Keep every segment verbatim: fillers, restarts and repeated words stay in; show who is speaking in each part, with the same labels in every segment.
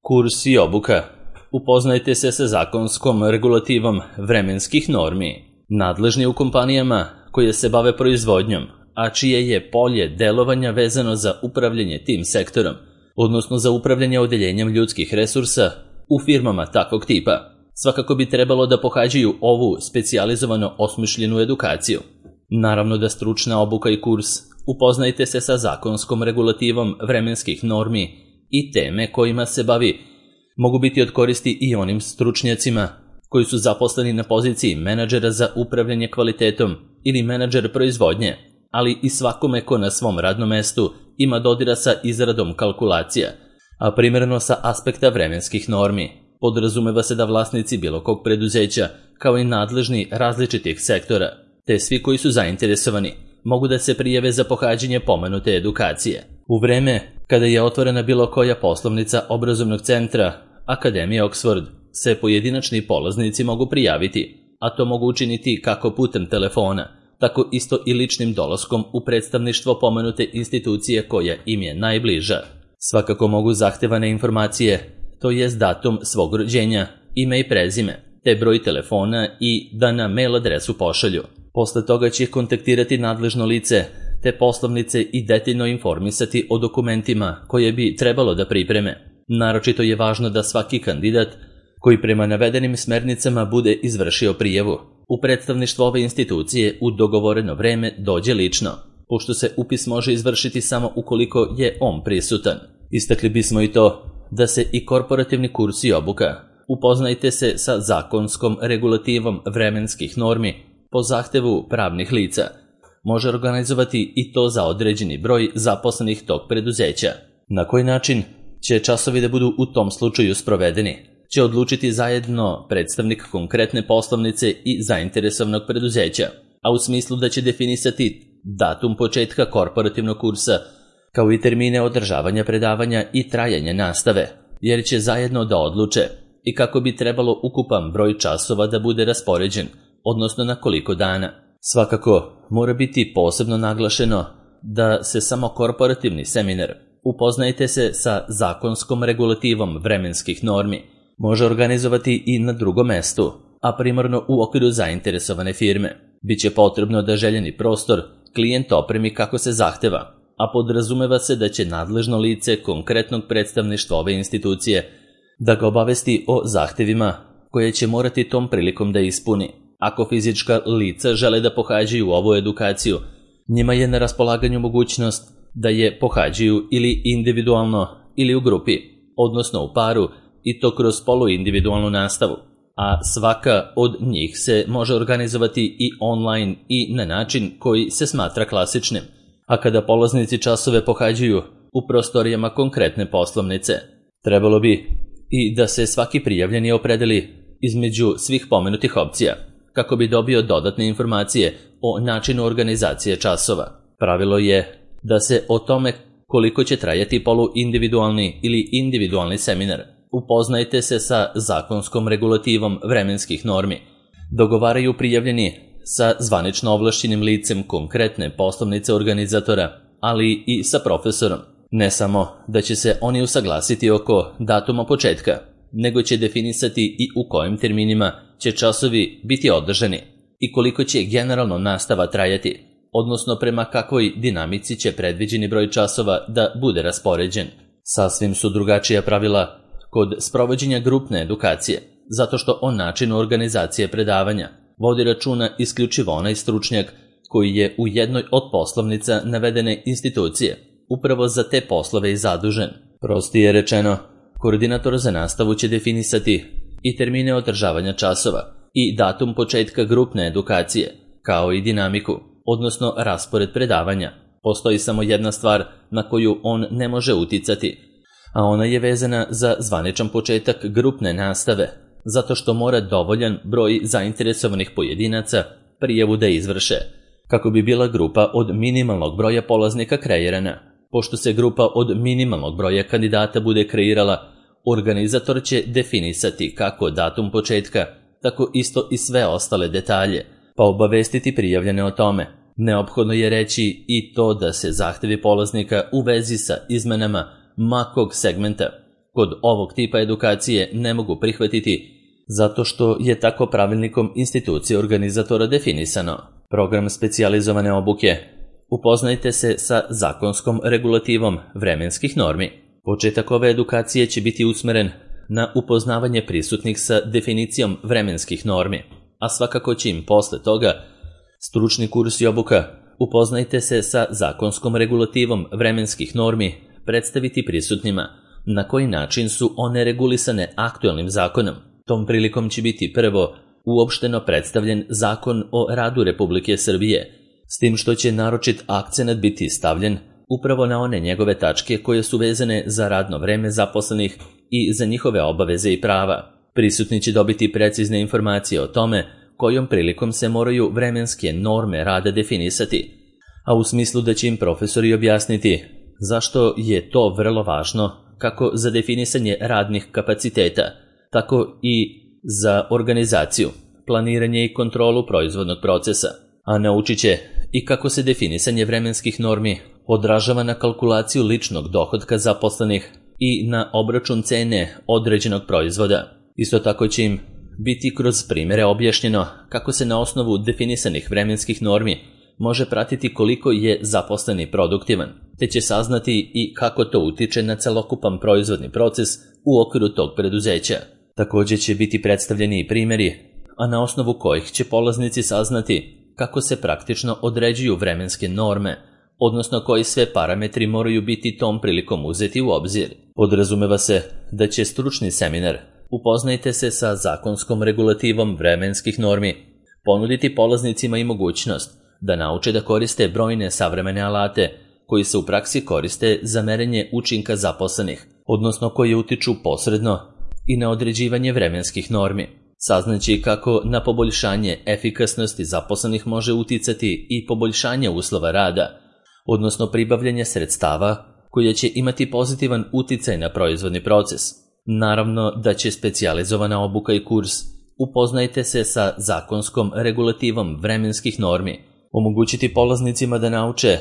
Speaker 1: Kurs i obuka. Upoznajte se sa zakonskom regulativom vremenskih normi. Nadležni u kompanijama koje se bave proizvodnjom, a čije je polje delovanja vezano za upravljanje tim sektorom, odnosno za upravljanje odeljenjem ljudskih resursa u firmama takvog tipa, svakako bi trebalo da pohađaju ovu specijalizovano osmišljenu edukaciju. Naravno da stručna obuka i kurs upoznajte se sa zakonskom regulativom vremenskih normi i teme kojima se bavi mogu biti od koristi i onim stručnjacima koji su zaposleni na poziciji menadžera za upravljanje kvalitetom ili menadžer proizvodnje, ali i svakome ko na svom radnom mestu ima dodira sa izradom kalkulacija, a primerno sa aspekta vremenskih normi. Podrazumeva se da vlasnici bilo kog preduzeća, kao i nadležni različitih sektora, te svi koji su zainteresovani, mogu da se prijave za pohađanje pomenute edukacije. U vreme kada je otvorena bilo koja poslovnica obrazovnog centra Akademije Oxford, se pojedinačni polaznici mogu prijaviti, a to mogu učiniti kako putem telefona, tako isto i ličnim dolaskom u predstavništvo pomenute institucije koja im je najbliža. Svakako mogu zahtevane informacije, to jest datum svog rođenja, ime i prezime, te broj telefona i da na mail adresu pošalju. Posle toga će kontaktirati nadležno lice, te poslovnice i detaljno informisati o dokumentima koje bi trebalo da pripreme. Naročito je važno da svaki kandidat koji prema navedenim smernicama bude izvršio prijavu u predstavništvo ove institucije u dogovoreno vreme dođe lično, pošto se upis može izvršiti samo ukoliko je on prisutan. Istakli bismo i to da se i korporativni kurs i obuka upoznajte se sa zakonskom regulativom vremenskih normi po zahtevu pravnih lica može organizovati i to za određeni broj zaposlenih tog preduzeća. Na koji način će časovi da budu u tom slučaju sprovedeni, će odlučiti zajedno predstavnik konkretne poslovnice i zainteresovanog preduzeća, a u smislu da će definisati datum početka korporativnog kursa, kao i termine održavanja predavanja i trajanja nastave, jer će zajedno da odluče i kako bi trebalo ukupan broj časova da bude raspoređen, odnosno na koliko dana. Svakako, mora biti posebno naglašeno da se samo korporativni seminar upoznajte se sa zakonskom regulativom vremenskih normi može organizovati i na drugom mestu, a primarno u okviru zainteresovane firme. Biće potrebno da željeni prostor klijent opremi kako se zahteva, a podrazumeva se da će nadležno lice konkretnog predstavništva ove institucije da ga obavesti o zahtevima koje će morati tom prilikom da ispuni. Ako fizička lica žele da pohađaju ovu edukaciju, njima je na raspolaganju mogućnost da je pohađaju ili individualno ili u grupi, odnosno u paru, i to kroz poluindividualnu nastavu, a svaka od njih se može organizovati i online i na način koji se smatra klasičnim, a kada polaznici časove pohađaju u prostorijama konkretne poslovnice. Trebalo bi i da se svaki prijavljeni opredeli između svih pomenutih opcija, kako bi dobio dodatne informacije o načinu organizacije časova. Pravilo je da se o tome koliko će trajati poluindividualni ili individualni seminar upoznajte se sa zakonskom regulativom vremenskih normi. Dogovaraju prijavljeni sa zvanično ovlašćenim licem konkretne poslovnice organizatora, ali i sa profesorom. Ne samo da će se oni usaglasiti oko datuma početka, nego će definisati i u kojim terminima će časovi biti održani i koliko će generalno nastava trajati, odnosno prema kakvoj dinamici će predviđeni broj časova da bude raspoređen. Sasvim su drugačija pravila kod sprovođenja grupne edukacije, zato što o načinu organizacije predavanja vodi računa isključivo onaj stručnjak koji je u jednoj od poslovnica navedene institucije upravo za te poslove i zadužen. Prostije rečeno, koordinator za nastavu će definisati i termine održavanja časova i datum početka grupne edukacije, kao i dinamiku, odnosno raspored predavanja. Postoji samo jedna stvar na koju on ne može uticati, a ona je vezana za zvaničan početak grupne nastave, zato što mora dovoljan broj zainteresovanih pojedinaca prijavu da izvrše, kako bi bila grupa od minimalnog broja polaznika kreirana. Pošto se grupa od minimalnog broja kandidata bude kreirala, organizator će definisati kako datum početka, tako isto i sve ostale detalje, pa obavestiti prijavljene o tome. Neophodno je reći i to da se zahtevi polaznika u vezi sa izmenama makog segmenta kod ovog tipa edukacije ne mogu prihvatiti zato što je tako pravilnikom institucije organizatora definisano. Program specijalizovane obuke. Upoznajte se sa zakonskom regulativom vremenskih normi. Početak ove edukacije će biti usmeren na upoznavanje prisutnih sa definicijom vremenskih normi, a svakako će im posle toga stručni kurs i obuka Upoznajte se sa zakonskom regulativom vremenskih normi predstaviti prisutnima na koji način su one regulisane aktualnim zakonom. Tom prilikom će biti prvo uopšteno predstavljen Zakon o radu Republike Srbije, s tim što će naročit akcenat biti stavljen upravo na one njegove tačke koje su vezane za radno vreme zaposlenih i za njihove obaveze i prava. Prisutni će dobiti precizne informacije o tome kojom prilikom se moraju vremenske norme rada definisati, a u smislu da će im profesori objasniti zašto je to vrlo važno kako za definisanje radnih kapaciteta, tako i za organizaciju, planiranje i kontrolu proizvodnog procesa, a naučit će i kako se definisanje vremenskih normi odražava na kalkulaciju ličnog dohotka zaposlenih i na obračun cene određenog proizvoda. Isto tako će im biti kroz primjere objašnjeno kako se na osnovu definisanih vremenskih normi može pratiti koliko je zaposleni produktivan, te će saznati i kako to utiče na celokupan proizvodni proces u okviru tog preduzeća. Također će biti predstavljeni i primjeri, a na osnovu kojih će polaznici saznati kako se praktično određuju vremenske norme, odnosno koji sve parametri moraju biti tom prilikom uzeti u obzir. Podrazumeva se da će stručni seminar Upoznajte se sa zakonskom regulativom vremenskih normi ponuditi polaznicima i mogućnost da nauče da koriste brojne savremene alate koji se u praksi koriste za merenje učinka zaposlenih, odnosno koji utiču posredno i na određivanje vremenskih normi. Saznaći kako na poboljšanje efikasnosti zaposlenih može uticati i poboljšanje uslova rada, odnosno pribavljanje sredstava koje će imati pozitivan uticaj na proizvodni proces. Naravno da će specijalizovana obuka i kurs Upoznajte se sa zakonskom regulativom vremenskih normi omogućiti polaznicima da nauče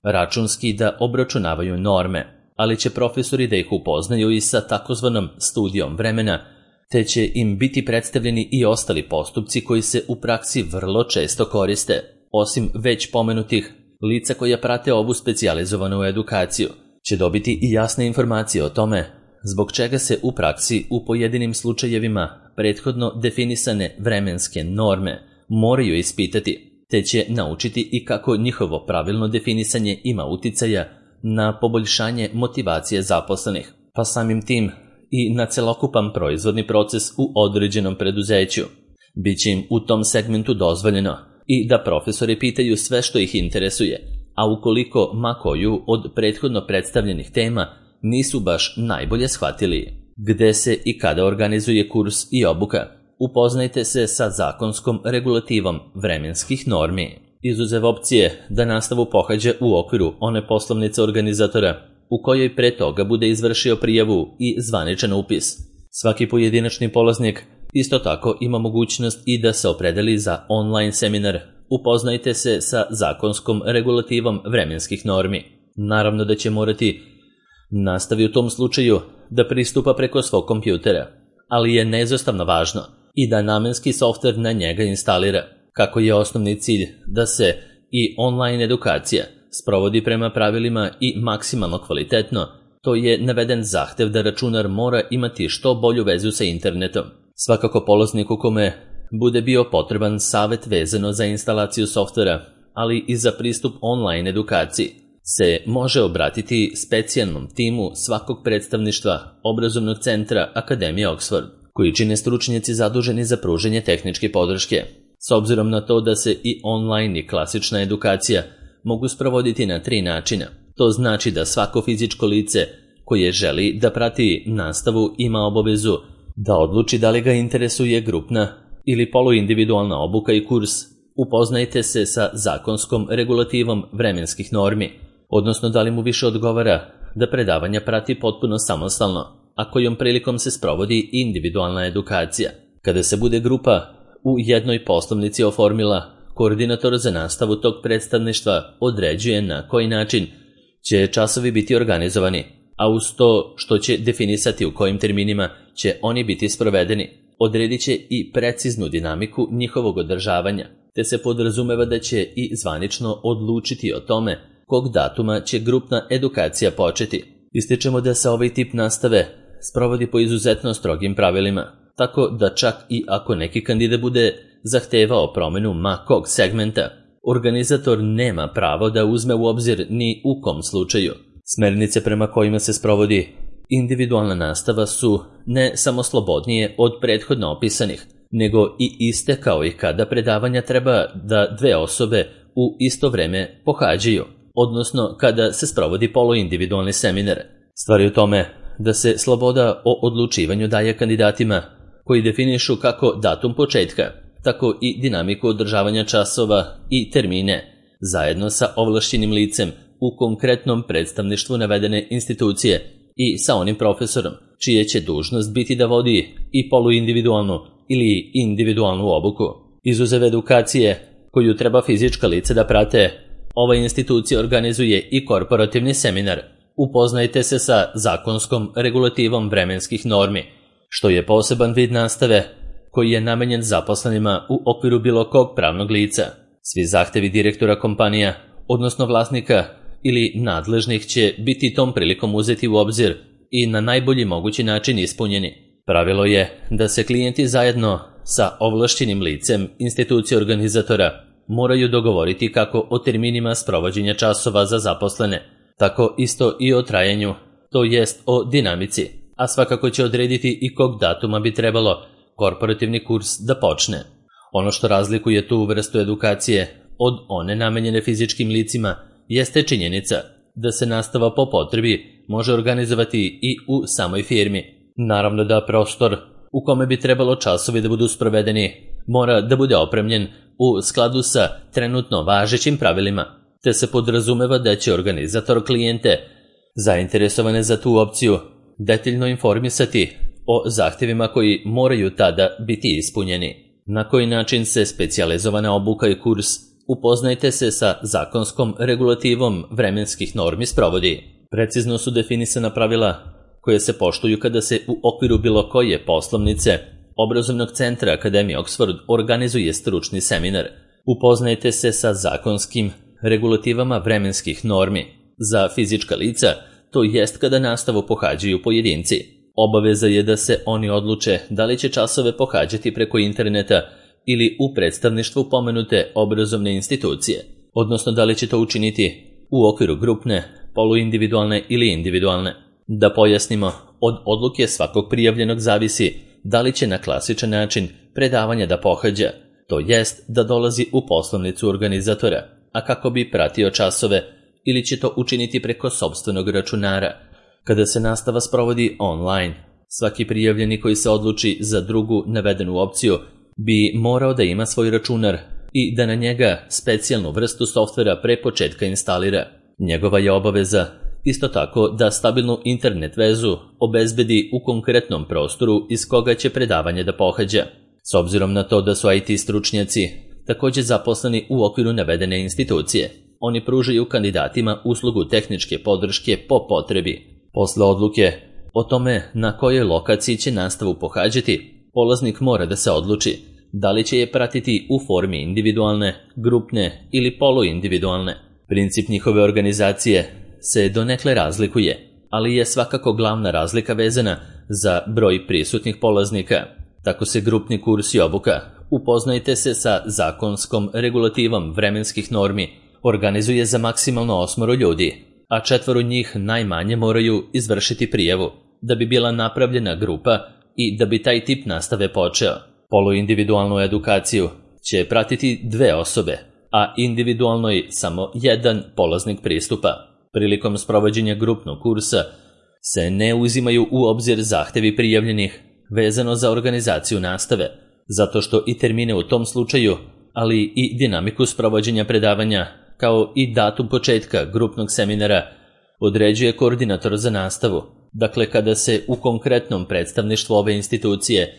Speaker 1: računski da obračunavaju norme, ali će profesori da ih upoznaju i sa takozvanom studijom vremena, te će im biti predstavljeni i ostali postupci koji se u praksi vrlo često koriste. Osim već pomenutih, lica koja prate ovu specijalizovanu edukaciju će dobiti i jasne informacije o tome zbog čega se u praksi u pojedinim slučajevima prethodno definisane vremenske norme moraju ispitati, te će naučiti i kako njihovo pravilno definisanje ima uticaja na poboljšanje motivacije zaposlenih, pa samim tim i na celokupan proizvodni proces u određenom preduzeću. Biće im u tom segmentu dozvoljeno i da profesori pitaju sve što ih interesuje, a ukoliko ma koju od prethodno predstavljenih tema nisu baš najbolje shvatili. Gde se i kada organizuje kurs i obuka? Upoznajte se sa zakonskom regulativom vremenskih normi. Izuzev opcije da nastavu pohađa u okviru one poslovnice organizatora u kojoj pre toga bude izvršio prijavu i zvaničan upis. Svaki pojedinačni polaznik isto tako ima mogućnost i da se opredeli za online seminar Upoznajte se sa zakonskom regulativom vremenskih normi. Naravno da će morati nastavi u tom slučaju da pristupa preko svog kompjutera, ali je neizostavno važno i da namenski softver na njega instalira, kako je osnovni cilj da se i online edukacija sprovodi prema pravilima i maksimalno kvalitetno. To je naveden zahtev da računar mora imati što bolju vezu sa internetom. Svakako polazniku kome bude bio potreban savet vezano za instalaciju softvera, ali i za pristup online edukaciji, se može obratiti specijalnom timu svakog predstavništva obrazovnog centra Akademije Oxford, koji čine stručnjaci zaduženi za pružanje tehničke podrške. S obzirom na to da se i online i klasična edukacija mogu sprovoditi na tri načina, to znači da svako fizičko lice koje želi da prati nastavu ima obavezu da odluči da li ga interesuje grupna ili poluindividualna obuka i kurs. Upoznajte se sa zakonskom regulativom vremenskih normi, odnosno da li mu više odgovara da predavanja prati potpuno samostalno, a kojom prilikom se sprovodi individualna edukacija. Kada se bude grupa u jednoj poslovnici oformila, koordinator za nastavu tog predstavništva određuje na koji način će časovi biti organizovani, a uz to što će definisati u kojim terminima će oni biti sprovedeni, odredit će i preciznu dinamiku njihovog održavanja, te se podrazumeva da će i zvanično odlučiti o tome kog datuma će grupna edukacija početi. Ističemo da se ovaj tip nastave sprovodi po izuzetno strogim pravilima, tako da čak i ako neki kandidat bude zahtevao promenu ma kog segmenta, organizator nema pravo da uzme u obzir ni u kom slučaju. Smernice prema kojima se sprovodi individualna nastava su ne samo slobodnije od prethodno opisanih, nego i iste kao i kada predavanja treba da dve osobe u isto vreme pohađaju, odnosno kada se sprovodi poluindividualni seminar. Stvar je u tome da se sloboda o odlučivanju daje kandidatima koji definišu kako datum početka, tako i dinamiku održavanja časova i termine, zajedno sa ovlašćenim licem u konkretnom predstavništvu navedene institucije i sa onim profesorom, čije će dužnost biti da vodi i poluindividualnu ili individualnu obuku. Izuzev edukacije koju treba fizička lica da prate, ova institucija organizuje i korporativni seminar. Upoznajte se sa zakonskom regulativom vremenskih normi, što je poseban vid nastave koji je namenjen zaposlenima u okviru bilo kog pravnog lica. Svi zahtevi direktora kompanija, odnosno vlasnika ili nadležnih, će biti tom prilikom uzeti u obzir i na najbolji mogući način ispunjeni. Pravilo je da se klijenti zajedno sa ovlašćenim licem institucije organizatora moraju dogovoriti kako o terminima sprovođenja časova za zaposlene, tako isto i o trajanju, to jest o dinamici, a svakako će odrediti i kog datuma bi trebalo korporativni kurs da počne. Ono što razlikuje tu vrstu edukacije od one namenjene fizičkim licima jeste činjenica da se nastava po potrebi može organizovati i u samoj firmi. Naravno da prostor u kome bi trebalo časovi da budu sprovedeni mora da bude opremljen u skladu sa trenutno važećim pravilima, te se podrazumeva da će organizator klijente zainteresovane za tu opciju detaljno informisati o zahtjevima koji moraju tada biti ispunjeni. Na koji način se specijalizovana obuka i kurs upoznajte se sa zakonskom regulativom vremenskih normi sprovodi. Precizno su definisana pravila koje se poštuju kada se u okviru bilo koje poslovnice obrazovnog centra Akademije Oxford organizuje stručni seminar. Upoznajte se sa zakonskim regulativama vremenskih normi za fizička lica, to jest kada nastavu pohađaju pojedinci. Obaveza je da se oni odluče da li će časove pohađati preko interneta ili u predstavništvu pomenute obrazovne institucije, odnosno da li će to učiniti u okviru grupne, poluindividualne ili individualne. Da pojasnimo, od odluke svakog prijavljenog zavisi da li će na klasičan način predavanja da pohađa, to jest da dolazi u poslovnicu organizatora, a kako bi pratio časove, ili će to učiniti preko sopstvenog računara. Kada se nastava sprovodi online, svaki prijavljeni koji se odluči za drugu navedenu opciju bi morao da ima svoj računar i da na njega specijalnu vrstu softvera pre početka instalira. Njegova je obaveza isto tako da stabilnu internet vezu obezbedi u konkretnom prostoru iz koga će predavanje da pohađa. S obzirom na to da su I T stručnjaci također zaposleni u okviru navedene institucije, oni pružaju kandidatima uslugu tehničke podrške po potrebi. Posle odluke o tome na kojoj lokaciji će nastavu pohađati, polaznik mora da se odluči da li će je pratiti u formi individualne, grupne ili poluindividualne. Princip njihove organizacije se donekle razlikuje, ali je svakako glavna razlika vezana za broj prisutnih polaznika. Tako se grupni kurs i obuka, upoznajte se sa zakonskom regulativom vremenskih normi, organizuje za maksimalno osmoro ljudi, a četvoro njih najmanje moraju izvršiti prijavu da bi bila napravljena grupa i da bi taj tip nastave počeo. Poluindividualnu edukaciju će pratiti dve osobe, a individualnoj samo jedan polaznik pristupa. Prilikom sprovođenja grupnog kursa se ne uzimaju u obzir zahtevi prijavljenih vezano za organizaciju nastave, zato što i termine u tom slučaju, ali i dinamiku sprovođenja predavanja, kao i datum početka grupnog seminara, određuje koordinator za nastavu. Dakle, kada se u konkretnom predstavništvu ove institucije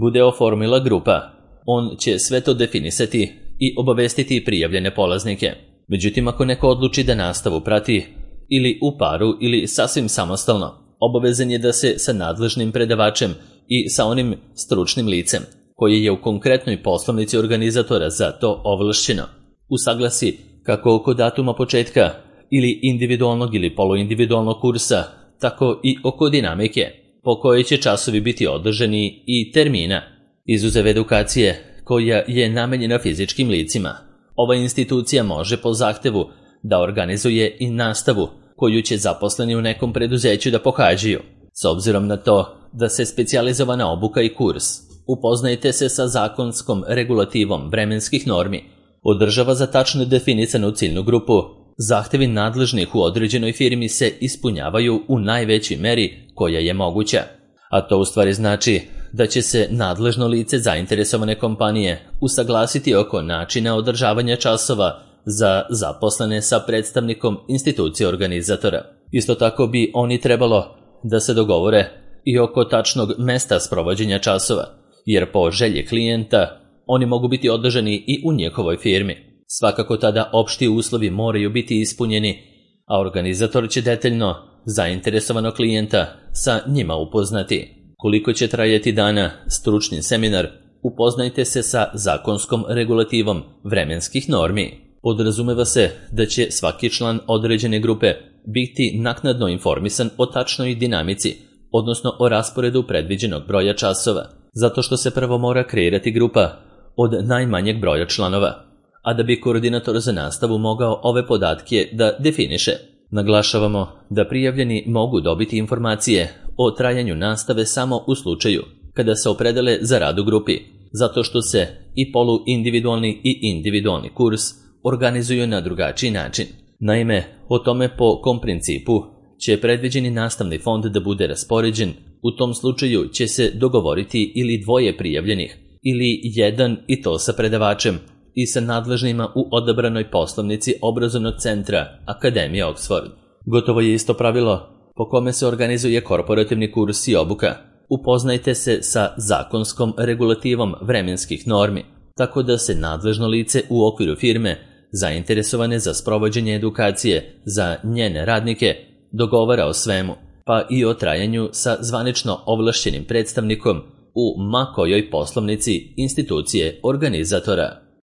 Speaker 1: bude oformila grupa, on će sve to definisati i obavestiti prijavljene polaznike. Međutim, ako neko odluči da nastavu prati ili u paru ili sasvim samostalno, obavezan je da se sa nadležnim predavačem i sa onim stručnim licem, koje je u konkretnoj poslovnici organizatora za to ovlašćeno, usaglasi kako oko datuma početka ili individualnog ili poluindividualnog kursa, tako i oko dinamike, po kojoj će časovi biti održani i termina, izuzev edukacije koja je namenjena fizičkim licima. Ova institucija može po zahtevu da organizuje i nastavu koju će zaposleni u nekom preduzeću da pohađaju. S obzirom na to da se specijalizovana obuka i kurs upoznajte se sa zakonskom regulativom vremenskih normi održava za tačno definisanu ciljnu grupu, zahtevi nadležnih u određenoj firmi se ispunjavaju u najvećoj meri koja je moguća. A to u stvari znači da će se nadležno lice zainteresovane kompanije usaglasiti oko načina održavanja časova za zaposlene sa predstavnikom institucije organizatora. Isto tako bi oni trebalo da se dogovore i oko tačnog mesta sprovođenja časova, jer po želji klijenta oni mogu biti održani i u njihovoj firmi. Svakako tada opšti uslovi moraju biti ispunjeni, a organizator će detaljno zainteresovanog klijenta sa njima upoznati. Koliko će trajati dana stručni seminar, upoznajte se sa zakonskom regulativom vremenskih normi. Podrazumeva se da će svaki član određene grupe biti naknadno informisan o tačnoj dinamici, odnosno o rasporedu predviđenog broja časova, zato što se prvo mora kreirati grupa od najmanjeg broja članova, a da bi koordinator za nastavu mogao ove podatke da definiše. Naglašavamo da prijavljeni mogu dobiti informacije o trajanju nastave samo u slučaju kada se opredele za rad u grupi, zato što se i poluindividualni i individualni kurs organizuju na drugačiji način. Naime, o tome po kom principu će predviđeni nastavni fond da bude raspoređen, u tom slučaju će se dogovoriti ili dvoje prijavljenih, ili jedan i to sa predavačem i sa nadležnima u odabranoj poslovnici obrazovnog centra Akademije Oxford. Gotovo je isto pravilo po kome se organizuje korporativni kurs i obuka. Upoznajte se sa zakonskom regulativom vremenskih normi, tako da se nadležno lice u okviru firme zainteresovane za sprovođenje edukacije za njene radnike dogovara o svemu, pa i o trajanju sa zvanično ovlašćenim predstavnikom u ma kojoj poslovnici institucije organizatora.